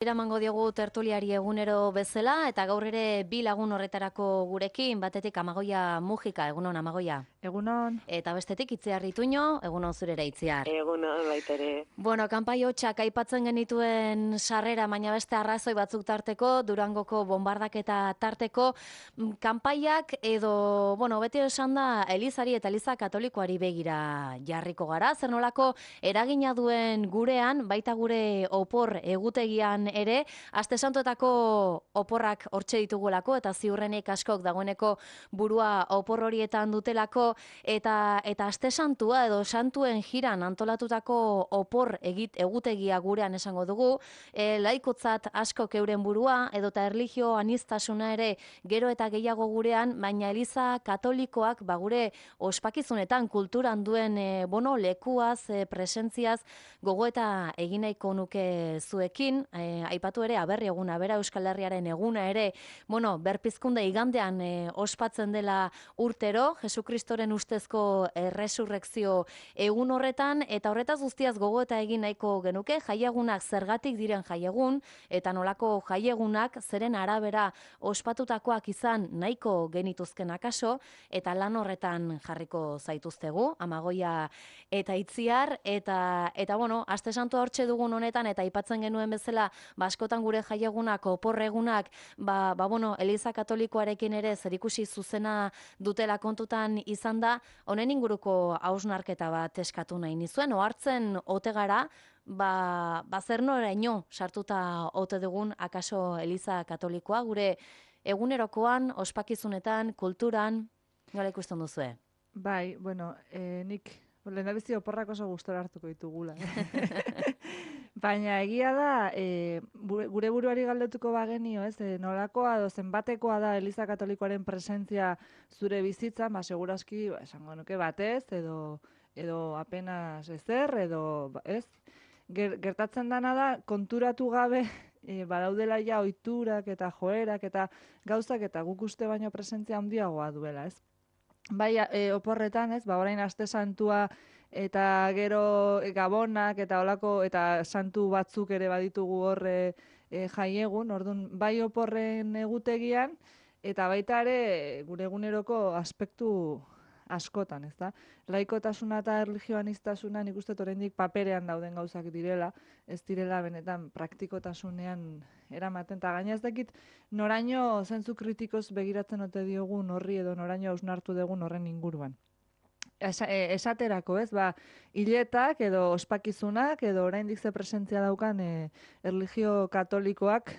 Eramango diogu tertuliari egunero bezala eta gaur ere bi lagun horretarako gurekin, batetik Amagoia Mujika, egunon Amagoia. Egunon. Eta bestetik Itziar Ituño, egunon zurera Itziar. Egunon baitere. Bueno, kanpai hotxak aipatzen genituen sarrera, baina beste arrazoi batzuk tarteko, Durangoko bombardaketa tarteko, kanpaiak edo, beti esan da, Elizari eta Eliza Katolikoari begira jarriko gara, zer nolako eragina duen gurean, baita gure opor egutegian ere, aste santuetako oporrak hortxe ditugulako, eta ziurrenik askok dagoeneko burua opor horietan dutelako, eta aste santua edo santuen jiran antolatutako opor egutegia gurean esango dugu, laikotzat askok euren burua, edota erlijio aniztasuna ere gero eta gehiago gurean, baina Eliza Katolikoak gure ospakizunetan kulturan duen lekuaz, presentziaz, gogoeta egin nahiko nuke zuekin, aipatu ere aberri eguna, bera Euskal Herriaren eguna ere, berpizkunde igandean ospatzen dela urtero, Jesukristoren ustezko resurrekzio egun horretan, eta horretaz guztiaz gogoeta egin nahiko genuke, jaiegunak zergatik diren jaiegun, eta nolako jaiegunak zeren arabera ospatutakoak izan nahiko genituzken akaso, eta lan horretan jarriko zaituztegu, Amagoia eta Itziar, eta aste santua hortxe dugun honetan, eta aipatzen genuen bezala, askotan gure jaiegunak, oporregunak, Eliza Katolikoarekin ere zerikusi zuzena dutela kontutan izan da, honen inguruko hausnarketa bat eskatu nahi nizuen, ohartzen ote gara, zer noraino sartuta ote dugun akaso Eliza Katolikoa, gure egunerokoan, ospakizunetan, kulturan, nola ikusten duzue? Bai, nik lehendabizi oporrak oso gustora hartuko ditugula. Baina egia da, gure buruari galdetuko bagenio, nolakoa edo zenbatekoa da Eliza Katolikoaren presentzia zure bizitzan, segurazki, esango nuke batez, edo apenas ezer, edo ez. Gertatzen dana da, konturatu gabe, badaudela ja ohiturak eta joerak eta gauzak eta guk uste baino presentzia handiagoa duela, ez? Bai, oporretan, ez, orain aste santua eta gero gabonak eta olako eta santu batzuk ere baditugu horre jaiegun, orduan bai oporren egutegian eta baita ere gure eguneroko aspektu askotan, ez da? Laikotasuna eta erlijioaniztasuna nik uste oraindik paperean dauden gauzak direla, ez direla benetan praktikotasunean eramaten, eta gaina ez dakit noraino zentzu kritikoz begiratzen ote diogun horri edo noraino hausnartu dugun horren inguruan. Esaterako, ez, hiletak edo ospakizunak edo oraindik ze presentzia daukan erlijio katolikoak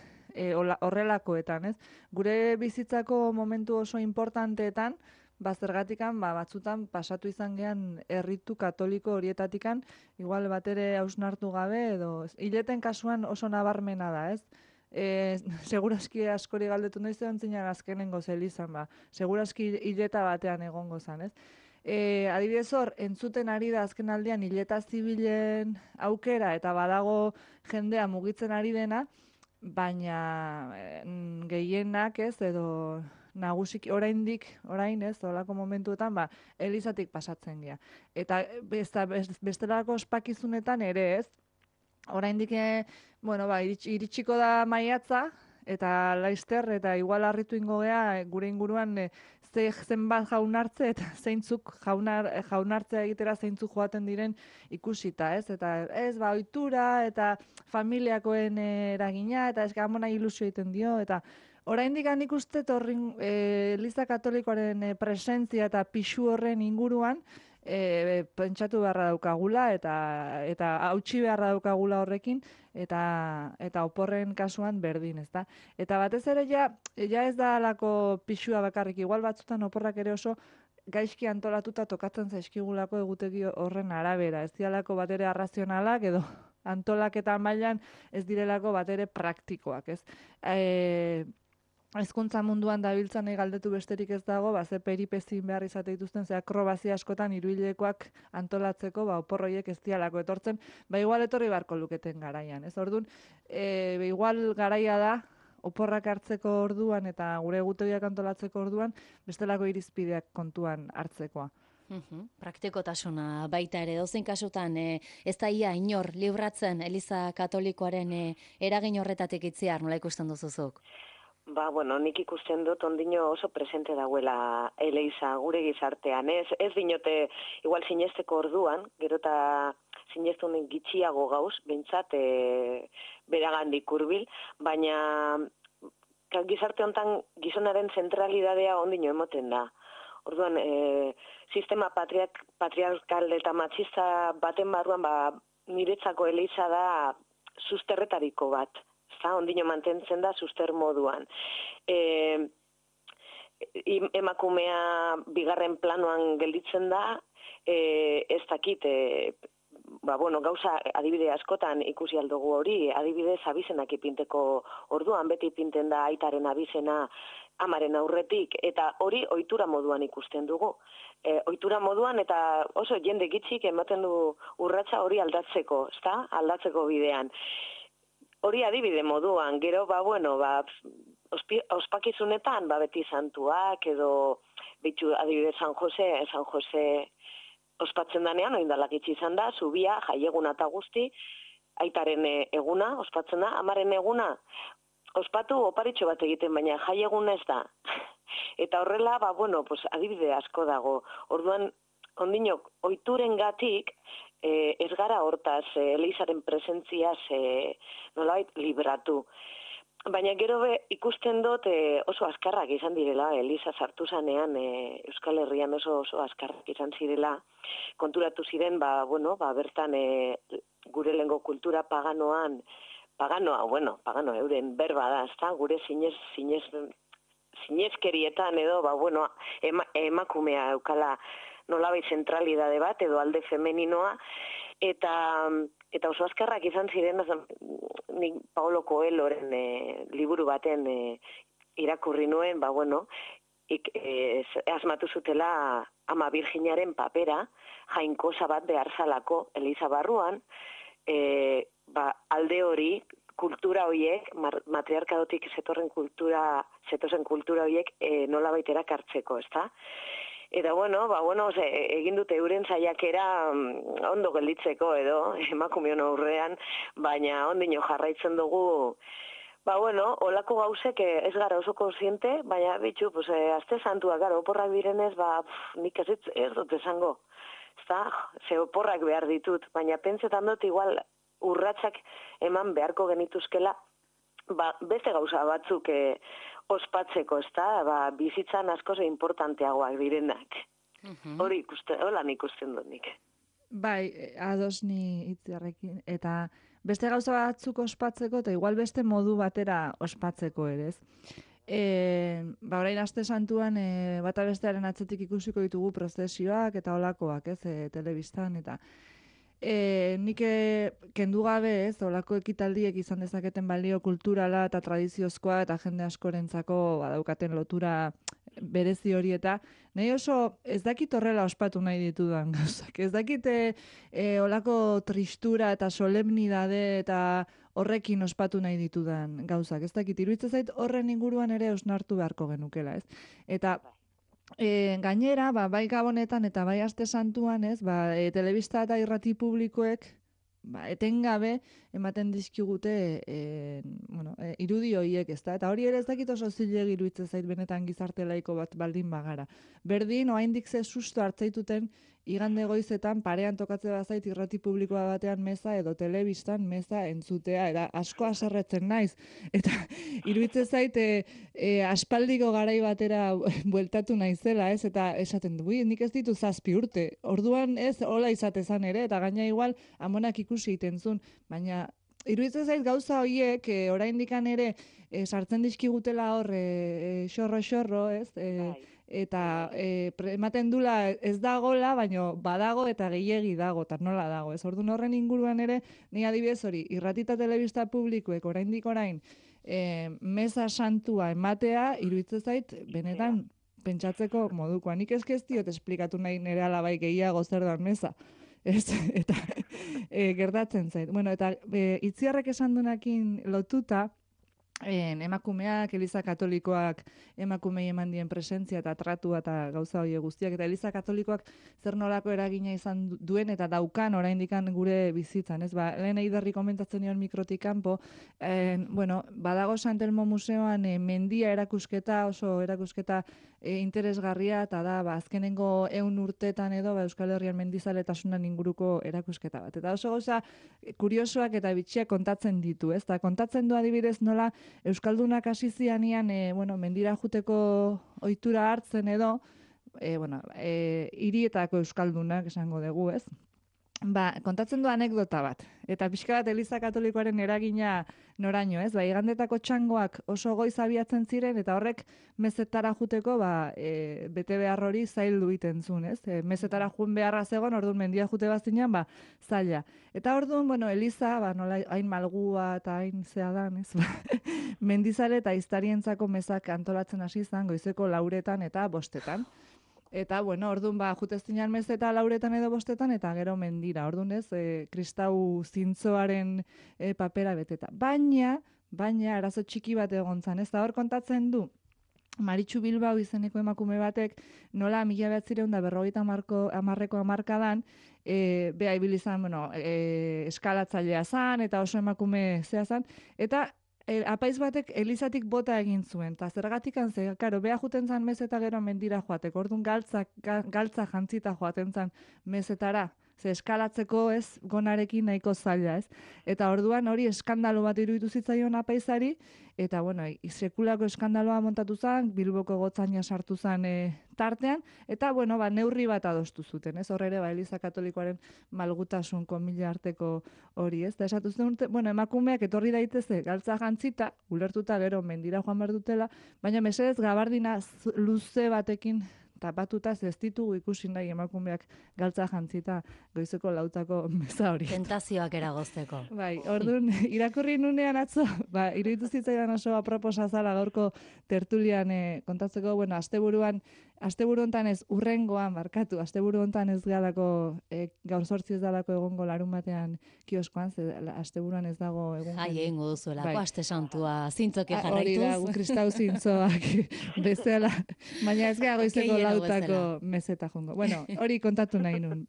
horrelakoetan, ez? Gure bizitzako momentu oso importanteetan, zergatikan, batzutan pasatu izan gean erritu katoliko horietatikan, igual batere hausnartu gabe, edo hileten kasuan oso nabarmena da, ez? Segurazki askori galdetu noiz egon zinean azkenengo zelizan, segurazki hileta batean egongo zan, ez? Adibidez hor, entzuten ari da azken aldean hileta zibilen aukera eta badago jendea mugitzen ari dena, baina gehienak ez, edo nagusik orain ez, olako momentuetan, Elizatik pasatzen gea. Eta bestelako ospakizunetan ere ez, oraindik, iritsiko da maiatza, eta laister, eta igual harritu ingo gea, gure inguruan zenbat jaunartze, eta zeintzuk jaunartzea egitera zeintzuk joaten diren ikusita, ez? Eta ez, ohitura, eta familiakoen eragina, eta ez gamona ilusio egiten dio, eta oraindik nik uste Eliza Katolikoaren presentzia eta pixu horren inguruan pentsatu beharra daukagula eta hautsi beharra daukagula horrekin eta oporren kasuan berdin, ezta? Eta batez ere ja ez da halako pixua bakarrik, igual batzutan oporrak ere oso gaizki antolatuta tokatzen zaizkigulako egutegi horren arabera, ez dialako batere arrazionalak edo antolaketa mailan ez direlako batere praktikoak, ez? Hezkuntza munduan dabiltzanei galdetu besterik ez dago, ze peripezin behar izate dituzten, ze akrobazia askotan hiruhilekoak antolatzeko, opor horiek ez dialako etortzen, igual etorri beharko luketen garaian, ez? Orduan, igual garaia da, oporrak hartzeko orduan eta gure egutegiak antolatzeko orduan, bestelako irizpideak kontuan hartzekoa. Praktikotasuna baita ere, dozein kasutan, ez da ia inor libratzen Eliza Katolikoaren eragin horretatik itziar, nola ikusten duzuzuk? Bueno, nik ikusten dut ondino oso presente dauela Eliza gure gizartean, ez dinote, igual sinesteko orduan, gero eta sinestun gitxiago gauz, bintzat, beragandik hurbil, baina gizarte hontan gizonaren zentralidadea ondino emoten da. Orduan, sistema patriarkal eta matxista baten barruan, niretzako Eliza da susterretariko bat. Ondino mantentzen da suster moduan. Emakumea bigarren planoan gelditzen da, ez dakit, gauza adibide askotan ikusi aldugu hori, adibidez abizenak ipinteko orduan, beti ipinten da aitaren abizena amaren aurretik, eta hori ohitura moduan ikusten dugu. Ohitura moduan eta oso jende gitxik ematen du urratsa hori aldatzeko, aldatzeko bidean. Hori adibide moduan, gero, ospakizunetan, beti santuak, edo, bitu, adibide San Jose ospatzen danean, oindalak itxi izan da, zubia, jaieguna eta guzti, aitaren eguna, ospatzen da, amaren eguna, ospatu oparitxo bat egiten, baina jaieguna ez da. Eta horrela, adibide asko dago. Orduan, ondinok, ohiturengatik, ez gara hortaz, Elizaren presentziaz nolabait libratu. Baina gero ikusten dut oso azkarrak izan direla, Eliza sartu zanean, Euskal Herrian oso azkarrak izan zirela, konturatu ziren, bertan gure lengo kultura paganoa, euren berba da, ezta, gure zinezkerietan edo, emakumea eukala nolabait zentralidade bat edo alde femeninoa, eta oso azkarrak izan ziren, nik Paulo Coelhoren liburu baten irakurri nuen, asmatu zutela Ama Virginaren papera, jainkosa bat behar zalako Eliza barruan, alde hori, kultura horiek, matriarkadotik zetozen kultura horiek nolabait erakartzeko, ezta? Eta egin dute euren saiakera ondo gelditzeko edo, emakumeon aurrean, baina ondino jarraitzen dugu, olako gauzek ez gara oso konsiente, baina aste santua, oporrak direnez, nik ez dut esango, ze oporrak behar ditut, baina pentsetan dut igual urratsak eman beharko genituzkela, beste gauza batzuk ospatzeko, bizitzan askoz importanteagoak direnak. Hola ikusten dut nik. Bai, ados ni Itziarrekin, eta beste gauza batzuk ospatzeko, eta igual beste modu batera ospatzeko ere, ez? Orain aste santuan bata bestearen atzetik ikusiko ditugu prozesioak eta holakoak, ez, telebistan, eta nik kendu gabe, ez, olako ekitaldiek izan dezaketen balio kulturala eta tradiziozkoa eta jende askorentzako badaukaten lotura berezi hori, eta nahi oso ez dakit horrela ospatu nahi ditudan gauzak. Ez dakit olako tristura eta solemnidade eta horrekin ospatu nahi ditudan gauzak. Ez dakit, iruditzen zait horren inguruan ere osnartu beharko genukela, ez? Eta gainera, bai Gabonetan eta bai aste santuan, ez, telebista eta irrati publikoek etengabe ematen dizkigute irudi horiek, ezta? Eta hori ere ez dakit oso zilegi iruditzen zait benetan gizarte laiko bat baldin bagara. Berdin, oraindik ze susto hartzaituten igande goizetan parean tokatze bazait irrati publikoa batean meza edo telebistan meza entzutea, eta asko haserretzen naiz. Eta iruditzen zait aspaldiko garai batera bueltatu naizela, ez? Eta esaten du, nik ez ditu 7 urte. Orduan ez hola izatezan ere, eta gaina igual amonak ikusi egiten zuen, baina iruditzen zait gauza horiek oraindikan ere sartzen dizkigutela hor xorro, ez? Eta ematen dula ez dagola, baina badago eta gehiegi dago, eta nola dago. Ez orduan horren inguruan ere, ni adibidez hori, irrati eta telebista publikoek oraindik orain meza santua ematea, iruditzen zait, benetan pentsatzeko modukoa. Nik ez diot esplikatu nahi nire alabai gehiago zer da meza. Eta gertatzen zait. Bueno, eta Itziarrek esan duenakin lotuta, emakumeak, Eliza Katolikoak emakumei eman dien presentzia eta tratua eta gauza hori guztiak, eta Eliza Katolikoak zer nolako eragina izan duen eta daukan oraindikan gure bizitzan, ez? Ba, lehen eiderri komentatzen nion mikrotik kanpo, bueno, badago Santelmo Museoan mendia erakusketa, oso erakusketa interesgarria, eta da, ba, azkenengo 100 urteetan edo, ba, Euskal Herrian mendizaletasunan inguruko erakusketa bat. Eta oso gauza kuriosoak eta bitxiak kontatzen ditu, ez? Eta kontatzen du adibidez nola Euskaldunak hasi zianian, bueno, mendira juteko ohitura hartzen edo, hirietako Euskaldunak esango dugu, ez? Ba, kontatzen du anekdota bat, eta pixka bat Eliza Katolikoaren eragina noraino, ez? Ba, igandetako txangoak oso goiz abiatzen ziren, eta horrek mezetara juteko, bete behar hori zaildu egiten zuen, ez? Mezetara jun beharra zegoen, orduan mendia jute bazinean, zaila. Eta orduan, bueno, Eliza, nola hain malgua eta hain zea dan, ez? Mendizale eta iztarientzako mezak antolatzen hasi izan, goizeko 4 eta 5. Eta, bueno, orduan, juteztinan mezeta 4 edo 5, eta gero mendira. Orduan ez, kristau zintzoaren papera beteta. Baina, arazo txiki bat egon zan, ez da hor kontatzen du, Maritxu Bilbao izeneko emakume batek, nola 1950ko hamarkadan, beha ibilizan, bueno, eskalatzailea zan, eta oso emakume zea zan, eta apaiz batek Elizatik bota egin zuen, eta zergatik ze, karo, beha juten zan mezeta gero mendira joateko, orduan galtza jantzita joaten zan mezetara, ze eskalatzeko ez gonarekin nahiko zaila, ez? Eta orduan hori eskandalo bat iruditu zitzaion apaizari, eta bueno, sekulako eskandaloa montatu zen, Bilboko gotzaina sartu zen tartean, eta bueno, neurri bat adostu zuten, ez? Hor ere, Eliza Katolikoaren malgutasun komila arteko hori, ez? Eta esatu zen, bueno, emakumeak etorri daiteze galtza jantzita, ulertuta gero mendira joan behar dutela, baina mesedez gabardina luze batekin tapatuta ez ditugu ikusi nahi emakumeak galtza jantzita goizeko 4 meza hori. Tentazioak eragozteko. Bai, orduan, irakurri nunean atzo, iruditu zitzaidan oso aproposa zala gaurko tertulian kontatzeko, bueno, asteburu hontan ez urrengoan, asteburu hontan ez galako, gaur 8 ez dalako egongo larun batean kioskoan, ze asteburuan ez dago egun. Egingo duzuelako, aste santua zintzoke jarraituz. Hori da, kristau zintzoak bezala, baina ez gara goizeko 4 mezeta jongo. Bueno, hori kontatu nahi nun.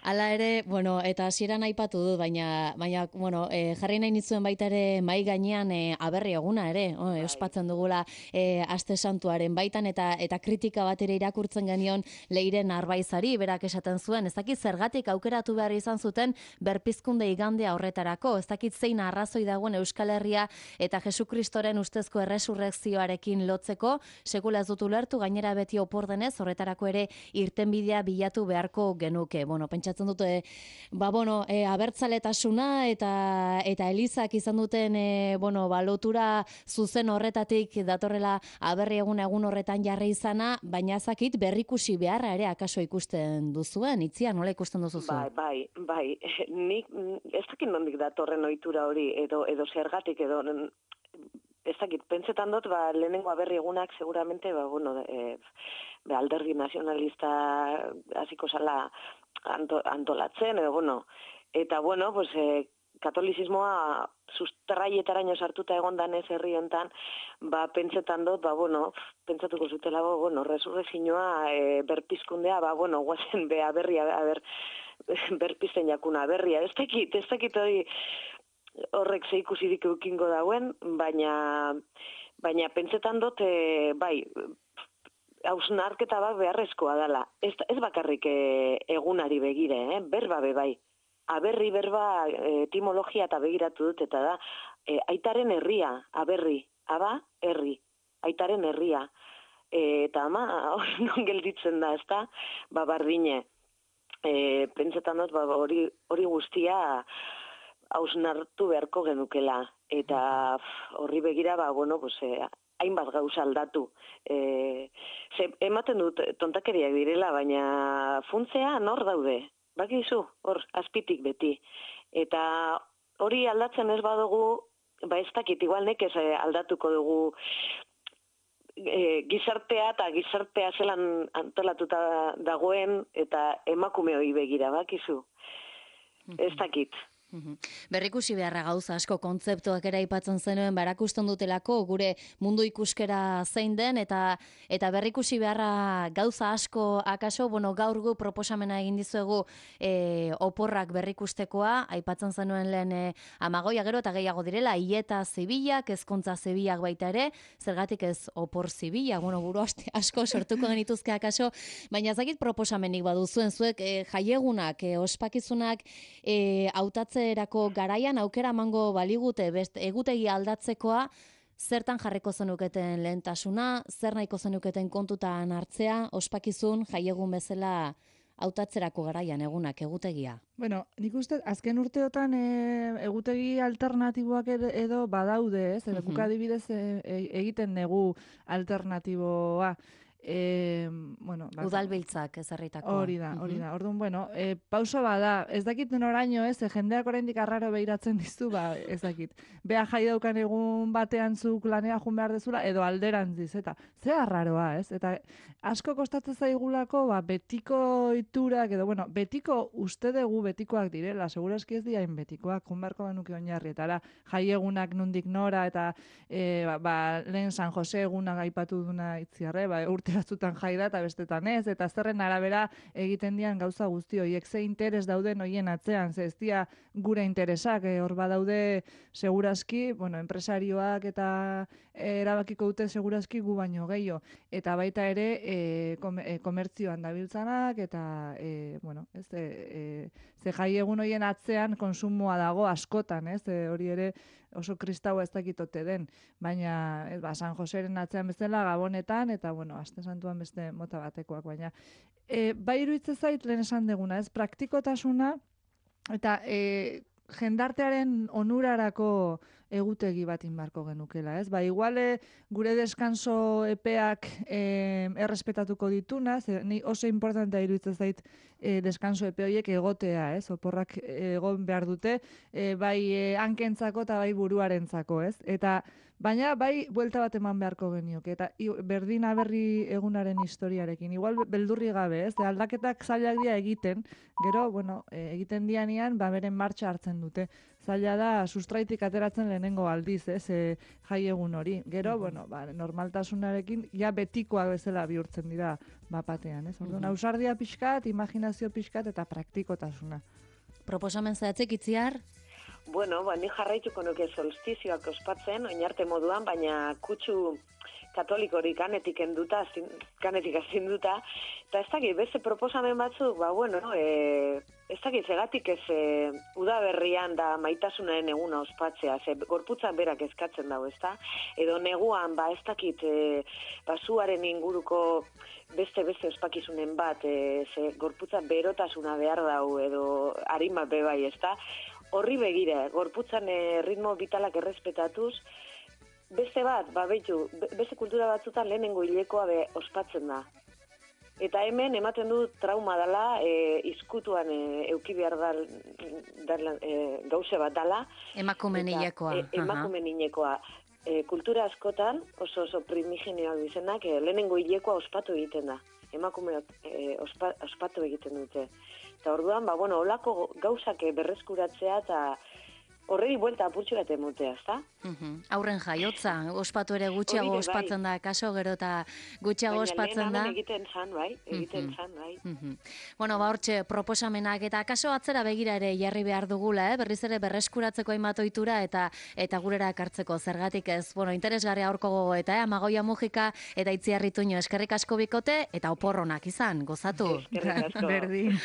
Hala ere, bueno, eta hasieran aipatu dut, baina bueno, jarri nahi nitzuen baita ere mai gainean aberri eguna ere, ospatzen dugula aste santuaren baitan, eta kritika bat ere irakurtzen genion Leiren Arbaizari, berak esaten zuen, ez dakit zergatik aukeratu behar izan zuten berpizkunde igandea horretarako, ez dakit zein arrazoi dagoen Euskal Herria eta Jesukristoren ustezko erresurrekzioarekin lotzeko, sekula ez dut ulertu, gainera beti opor denez, horretarako ere irtenbidea bilatu beharko genuke. Bueno, pentsatzen dute, abertzaletasuna eta Elizak izan duten, lotura zuzen horretatik datorrela aberri egun horretan jarri izana, baina zakit berrikusi beharra ere akaso ikusten duzuen, Itzia, nola ikusten duzu zuen? Bai, nik ez dakit nondik datorren ohitura hori, edo zergatik, edo ez dakit, pentsetan dut, lehenengo aberri egunak seguramente, alderdi nazionalista hasiko zala antolatzen, eta katolizismoa sustraietaraino sartuta egondan ez herri hontan, pentsetan dut, pentsatuko zutela, resurrekzioa, berpizkundea, guazen berpizten jakuna berria. Ez dakit hori horrek ze ikusirik eukingo dauen, baina pentsetan dut, hausnarketa bat beharrezkoa dela. Ez bakarrik egunari begire, berba bai. Aberri berba etimologia eta begiratu dut, eta da, aitaren herria, aberri, herri, aitaren herria. Eta hori non gelditzen da, ezta, bardine. Pentsetan dut, hori guztia hausnartu beharko genukela. Eta horri begira, hainbat gauza aldatu. Ematen dut tontakeriak direla, baina funtzea nor daude? Bakizu, hor, azpitik beti. Eta hori aldatzen ez badugu, ez dakit, igual nekez aldatuko dugu gizartea eta gizartea zelan antolatuta dagoen eta emakume hori begira, bakizu. Ez dakit. Berrikusi beharra gauza asko kontzeptuak ere aipatzen zenuen, barakusten dutelako gure mundu ikuskera zein den, eta berrikusi beharra gauza asko akaso, gaur gu proposamena egin dizuegu oporrak berrikustekoa, aipatzen zenuen lehen amagoia gero eta gehiago direla, hileta zibilak, ezkontza zibilak baita ere, zergatik ez opor zibila, buru asko sortuko genituzke akaso, baina ezakit proposamenik baduzuen zuek jaiegunak, ospakizunak hautatzerako garaian aukera emango baligute egutegi aldatzekoa, zertan jarriko zenuketen lehentasuna, zer nahiko zenuketen kontutan hartzea, ospakizun jaiegun bezala hautatzerako garaian egunak egutegia? Bueno, nik uste, azken urteotan egutegi alternatiboak edo badaude, ez? Guk adibidez egiten dugu alternatiboa. Udalbiltzak ezarritakoa. Hori da. Orduan, pauso bada, ez dakit noraino, ez, jendeak oraindik arraro behiratzen dizu, ez dakit. Bea jai daukan egun batean zuk lanera jun behar dezula, edo alderantziz, eta ze arraroa, ez? Eta asko kostatzen zaigulako, betiko iturak, edo, betiko uste dugu betikoak direla, segurazki ez diain betikoak, jun beharko banuke oinarrietara, jai egunak nundik nora, eta lehen San Jose egunak aipatu duna itziarre, urte batzutan jai da eta bestetan ez, eta zerren arabera egiten dian gauza guzti horiek, ze interes dauden hoien atzean, ze ez dia gure interesak, hor badaude segurazki, enpresarioak eta erabakiko dute segurazki gu baino gehiago, eta baita ere komertzioan dabiltzanak, eta ze jai egun hoien atzean konsumoa dago askotan, ez, hori ere oso kristaua ez dakitote den, baina San Joseren atzean bezala Gabonetan, eta aste santuan beste mota batekoak, baina bai iruditzen zait lehen esan deguna, ez, praktikotasuna, eta jendartearen onurarako egutegi bat inbarko genukela, ez? Igual gure deskanso epeak errespetatuko dituna, ni oso importantea iruditzen zait deskanso epe horiek egotea, ez? Oporrak egon behar dute, bai hankentzako eta bai buruarentzako, ez? Baina bai buelta bat eman beharko genioke, eta berdin aberri egunaren historiarekin, igual beldurri gabe, ez? Aldaketak zailak dira egiten, gero, egiten dianean, beren martxa hartzen dute. Zaila da, sustraitik ateratzen lehenengo aldiz, ez, jai egun hori. Gero, normaltasunarekin, ja betikoak bezala bihurtzen dira bapatean, ez? Orduan, ausardia pixkat, imaginazio pixkat eta praktikotasuna. Proposamen zehatzek itziar? Ni jarraituko nuke solstizioak ospatzen, oinarte moduan, baina kutsu katolikorik kanetik azinduta, eta ez dakit, beste proposamen batzuk, ez dakit, zegatik ez udaberrian da maitasunaren eguna ospatzea, ze gorputzak berak eskatzen dago, ez da? Edo neguan, ez dakit, zuaren inguruko beste ospakizunen bat, ze gorputzak berotasuna behar dago, edo harin bat bebai, ez da? Horri begira, gorputzan ritmo vitalak errespetatuz, beste bat, beste kultura batzutan lehenengo hilekoa ospatzen da. Eta hemen ematen du trauma dela, izkutuan euki behar gauze bat dela. Emakumen hilekoa. Emakumen hilekoa. Kultura askotan, oso primigenioak dizenak, lehenengo hilekoa ospatu egiten da. Emakumeak ospatu egiten dute. Eta orduan, holako gauzak berreskuratzea eta horreri buelta apurtxo bat emotea, ezta? Aurren jaiotza, ospatu ere gutxiago ospatzen da, kaso gero eta gutxiago ospatzen da. Baina egiten zan, bai. Hortxe, proposamenak eta kaso atzera begira ere jarri behar dugula, berriz ere berreskuratzeko hainbat ohitura eta gurera ekartzeko zergatik ez. Interesgarria aurko gogoeta, Amagoia Mujika eta Itziar Ituño, eskerrik asko bikote eta oporronak izan, gozatu. Eskerrik asko. Berdin.